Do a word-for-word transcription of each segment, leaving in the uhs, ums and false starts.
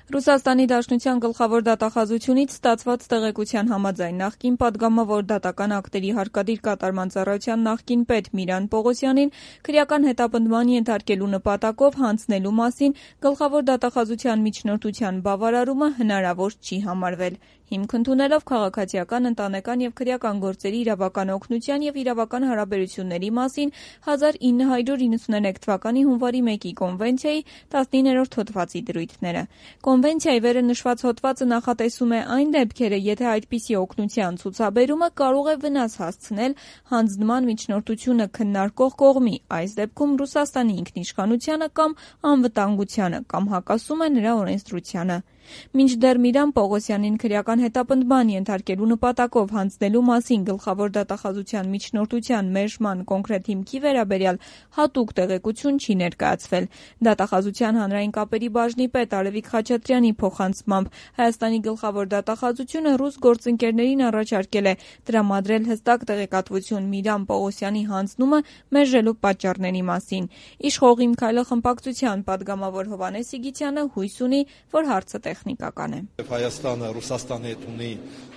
Ռուսաստանի Դաշնության գլխավոր դատախազությունից ստացված տեղեկության համաձայն նախկին պատգամավոր դատական ակտերի հարկադիր կատարման ծառայության նախկին պետ Միրան Պողոսյանին քրեական հետապնդման ենթարկելու նպատակով հանձնելու մասին գլխավոր դատախազության միջնորդության բավարարումը հնարավոր չի համարվել։ Հիմք ընդունելով քաղաքացիական, ընտանեկան և քրեական գործերի իրավական օգնության և իրավական հարաբերությունների մասին հազար ինը հարյուր իննսուներեք թվականի հունվարի մեկի կոնվենցիայի տասնիններորդ հոդվածի դրույթները։ Կոնվենցիայի վերը նշված հոդվածը նախատեսում է այն դեպքերը, եթե այդպիսի օգնության ցուցաբերումը կարող է վնաս հասցնել հանձնման միջնորդությունը քննարկող կողմի, այս դեպքում Ռուսաստանի ինքնիշխանությանը կամ անվտանգությանը, կամ հակասում է նրա օրենսդրությանը։ Մինչդեռ Միրան Պողոսյանին քրեական հետապնդման ենթարկելու նպատակով հանձնելու մասին գլխավոր դատախազության միջնորդության մերժման կոնկրետ հիմքի վերաբերյալ հատուկ տեղեկություն չի ներկայացվել։ Դատախազության հանրային կապերի բաժնի պետ Արևիկ Խաչատրյանի փոխանցմամբ Հայաստանի գլխավոր դատախազությունը ռուս գործընկերներին առաջարկել է տրամադրել հստակ տեղեկատվություն Միրան Պողոսյանի հանձնումը մերժելու պատճառների մասին։ Իշխող Իմ քայլը խմբակցության պատգամավոր Հովհաննես Սիգիթյանը հույս ունի, որ հարցը տեխնիկական է։ Հայաստանը Ռուսաստանի հետ ունի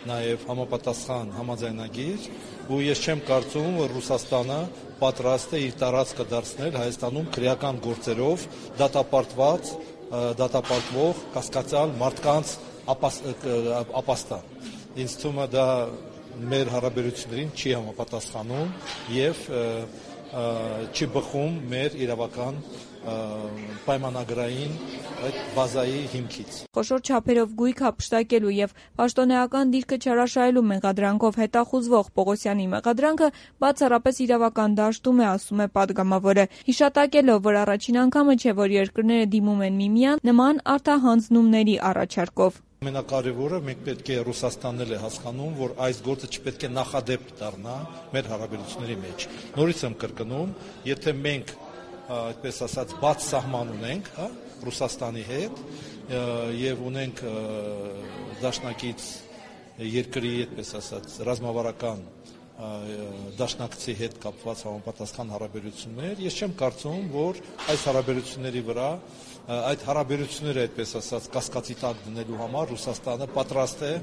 նաև համապատասխան համաձայնագիր, ու ես չեմ կարծում, որ Ռուսաստանը պատրաստ է իր տարածքը դարձնել Հայաստանում քրեական գործերով դատապարտված, դատապարտվող կասկածյալ մարդկանց ապաստան։ Ինձ թվում է դա մեր հարաբերություններին չի համապատասխանում և չի բխում մեր իրավական պայմանագրային այդ բազայի հիմքից։ Խոշոր չափերով գույք հափշտակելու և պաշտոնեական դիրքը չհրաշայելու մեղադրանքով հետախուզվող Պողոսյանի մեղադրանքը բացառապես իրավական դաշտում է, ասում է պատգամավորը, հիշատակելով, որ առաջին անգամը չէ, որ երկրները դիմում են միմյանց նման արտահանձնումների առաջարկով։ Ամենակարևորը մենք պետք է Ռուսաստանն էլ է հասկանում, որ այս գործը չպետք է նախադեպ դառնա մեր հարաբերությունների մեջ։ Նորից եմ կրկնում, եթե մենք այդպես ասած բաց սահման ունենք, հա, Ռուսաստանի հետ եւ ունենք դաշնակից երկրի, այդպես ասած, ռազմավարական դաշնակցի հետ կապված համապատասխան հարաբերություններ, ես չեմ կարծում, որ այս հարաբերությունների վրա այդ հարաբերությունները, այդպես ասած, կասկածի տակ դնելու համար Ռուսաստանը պատրաստ է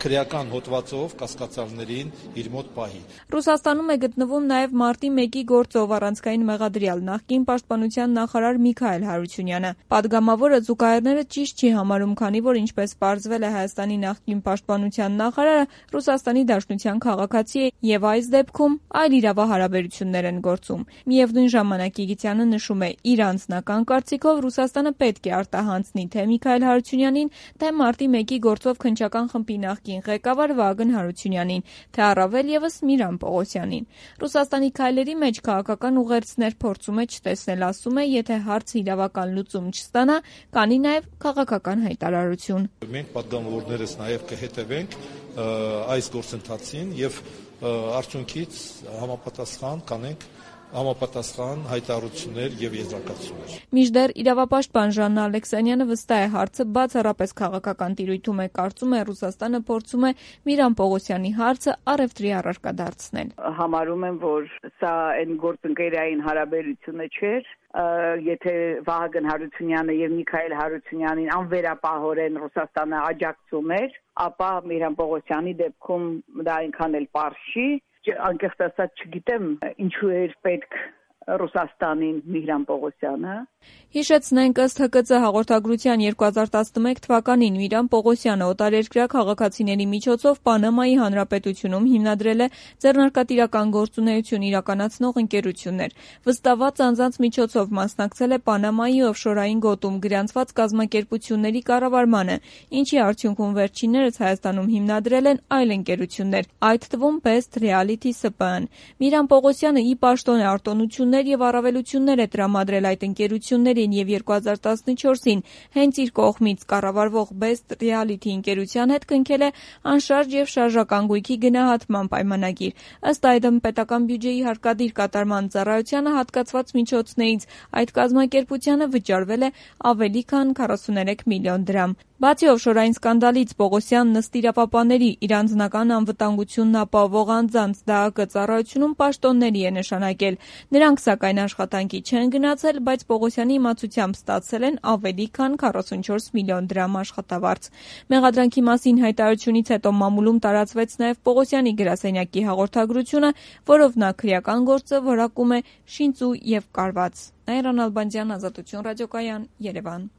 քրեական հոդվածով կասկածյալներին իր մոտ պահի։ Ռուսաստանում է գտնվում նաև մարտի մեկի գործով առանցքային մեղադրյալ նախկին պաշտպանության նախարար Միքայել Հարությունյանը։ Պատգամավորը զուգահեռները ճիշտ չի համարում, քանի որ ինչպես պարզվել է Հայաստանի նախկին պաշտպանության նախարարը Ռուսաստանի Դաշնության քաղաքացի է եւ այս դեպքում այլ իրավահարաբերություններ են գործում։ Միևնույն ժամանակ Իգիթյանը նշում է, իր անձնական կարծիքով Ռուսաստանը պետք է արտահանձնի թե Միքայել Հարությունյանին, թե մարտի մեկի գործով քննչական խմբի նախկին ղեկավար Վագն Հարությունյանին, թե առավել եւս Միրան Պողոսյանին։ Ռուսաստանի քայլերի մեջ քաղաքական ուղերձներ փորձում է չտեսնել, ասում է, եթե հարցը իրավական լուծում չստանա, կանի նաեւ քաղաքական հայտարարություն։ Մենք պատգամավորներս նաեւ կհետևենք այս գործընթացին եւ արդյունքից համապատասխան կանենք համապատասխան հայտարարություններ եւ եզրակացություններ։ Մինչդեռ իրավապաշտպան Ժաննա Ալեքսանյանը վստահ է, հարցը բացառապես քաղաքական տիրույթում է, կարծում է Ռուսաստանը փորձում է Միրան Պողոսյանի հարցը առևտրի առարկա դարձնել։ Համարում եմ, որ սա այն գործընկերային հարաբերությունը չէր, եթե Վահագն Հարությունյանը եւ Միքայել Հարությունյանին անվերապահորեն Ռուսաստանը աջակցում էր, ապա Միրան Պողոսյանի դեպքում դա այնքան էլ պարզ չի։ Անկեղծ ասած չգիտեմ ինչու էր պետք Ռուսաստանին Միրան Պողոսյանը։ Հիշեցնենք, ըստ Հ Կ Ծ հաղորդագրության երկու հազար տասնմեկ թվականին Միրան Պողոսյանը օտարերկրյա քաղաքացիների միջոցով Պանամայի հանրապետությունում հիմնադրել է ձեռնարկատիրական գործունեություն իրականացնող ընկերություններ։ Վստահված անձանց միջոցով մասնակցել է Պանամայի օֆշորային գոտում գրանցված կազմակերպությունների կառավարմանը, ինչի արդյունքում վերջիններս Հայաստանում հիմնադրել են այլ ընկերություններ, այդ թվում Best Reality S P N։ Միրան Պողոսյանը ի պաշտոն է արտոնություններ եւ առավելություններ է տրամադրել այդ ընկերություններին եւ երկու հազար տասնչորսին հենց իր կողմից կառավարվող Best Reality ընկերության հետ կնքել է անշարժ եւ շարժական գույքի գնահատման պայմանագիր։ Ըստ այդմ պետական բյուջեի հարկադիր կատարման ծառայությանը հատկացված միջոցներից այդ կազմակերպությանը վճարվել է ավելի քան քառասուներեք միլիոն դրամ։ Բացի օֆշորային սկանդալից Պողոսյանն ըստ իրավապահների իր անձնական անվտանգությունն ապահովող անձանց Դա Ա Կը ծառայությունում պաշտոնների է նշանակել։ Նրանք սակայն աշխատանքի չեն գնացել, բայց Պողոսյանի իմացությամբ ստացել են ավելի քան քառասունչորս միլիոն դրամ աշխատավարձ։ Մեղադրանքի մասին հայտարարությունից հետո մամուլում տարածվեց նաև Պողոսյանի գրասենյակի հաղորդագրությունը, որով նա քրեական գործը որակում է շինծու և կարված։ Նաիրա Նալբանդյան, Ազատություն ռադիոկայան, Երևան։